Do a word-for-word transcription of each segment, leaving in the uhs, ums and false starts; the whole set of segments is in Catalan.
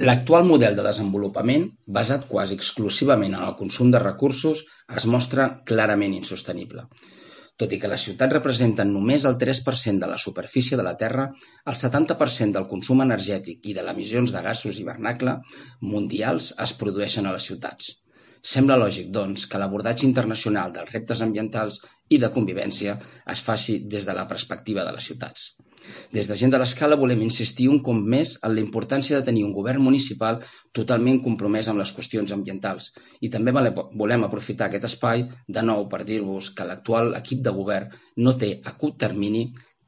L'actual model de desenvolupament, basat quasi exclusivament en el consum de recursos, es mostra clarament insostenible. Tot i que les ciutats representen només el tres per cent de la superfície de la Terra, el setanta per cent del consum energètic i de les emissions de gasos hivernacle mundials es produeixen a les ciutats. Sembla lògic, doncs, que l'abordatge internacional dels reptes ambientals i de convivència es faci des de la perspectiva de les ciutats. Des de Gent de l'Escala volem insistir un cop més en la importància de tenir un govern municipal totalment compromès amb les qüestions ambientals i també volem aprofitar aquest espai de nou per dir-vos que l'actual equip de govern no té a curt termini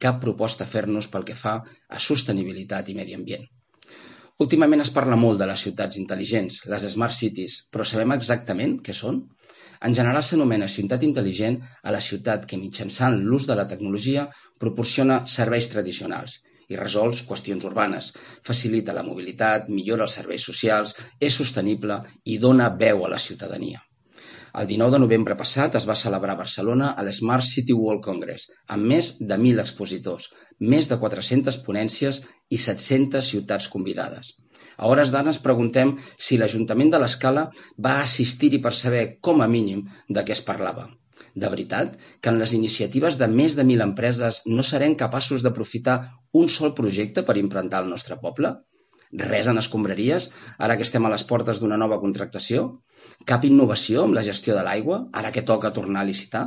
cap proposta a fer-nos pel que fa a sostenibilitat i medi ambient. Últimament es parla molt de les ciutats intel·ligents, les Smart Cities, però sabem exactament què són? En general s'anomena ciutat intel·ligent a la ciutat que mitjançant l'ús de la tecnologia proporciona serveis tradicionals i resol qüestions urbanes, facilita la mobilitat, millora els serveis socials, és sostenible i dona veu a la ciutadania. El dinou de novembre passat es va celebrar a Barcelona a l'Smart City World Congress, amb més de mil expositors, més de quatre-centes ponències i set-centes ciutats convidades. A hores d'ara ens preguntem si l'Ajuntament de l'Escala va assistir-hi per saber, com a mínim, de què es parlava. De veritat que en les iniciatives de més de mil empreses no serem capaços d'aprofitar un sol projecte per implantar el nostre poble? Res en escombraries, ara que estem a les portes d'una nova contractació? Cap innovació amb la gestió de l'aigua, ara que toca tornar a licitar?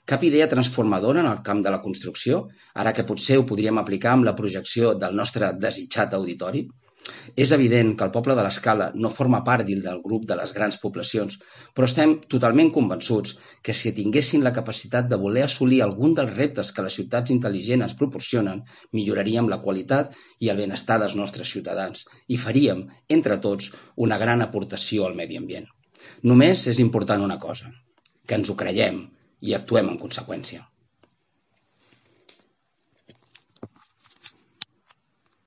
Cap idea transformadora en el camp de la construcció, ara que potser ho podríem aplicar amb la projecció del nostre desitjat auditori? És evident que el poble de l'Escala no forma part del grup de les grans poblacions, però estem totalment convençuts que si tinguessin la capacitat de voler assolir algun dels reptes que les ciutats intel·ligents ens proporcionen, milloraríem la qualitat i el benestar dels nostres ciutadans i faríem, entre tots, una gran aportació al medi ambient. Només és important una cosa, que ens ho creiem i actuem en conseqüència.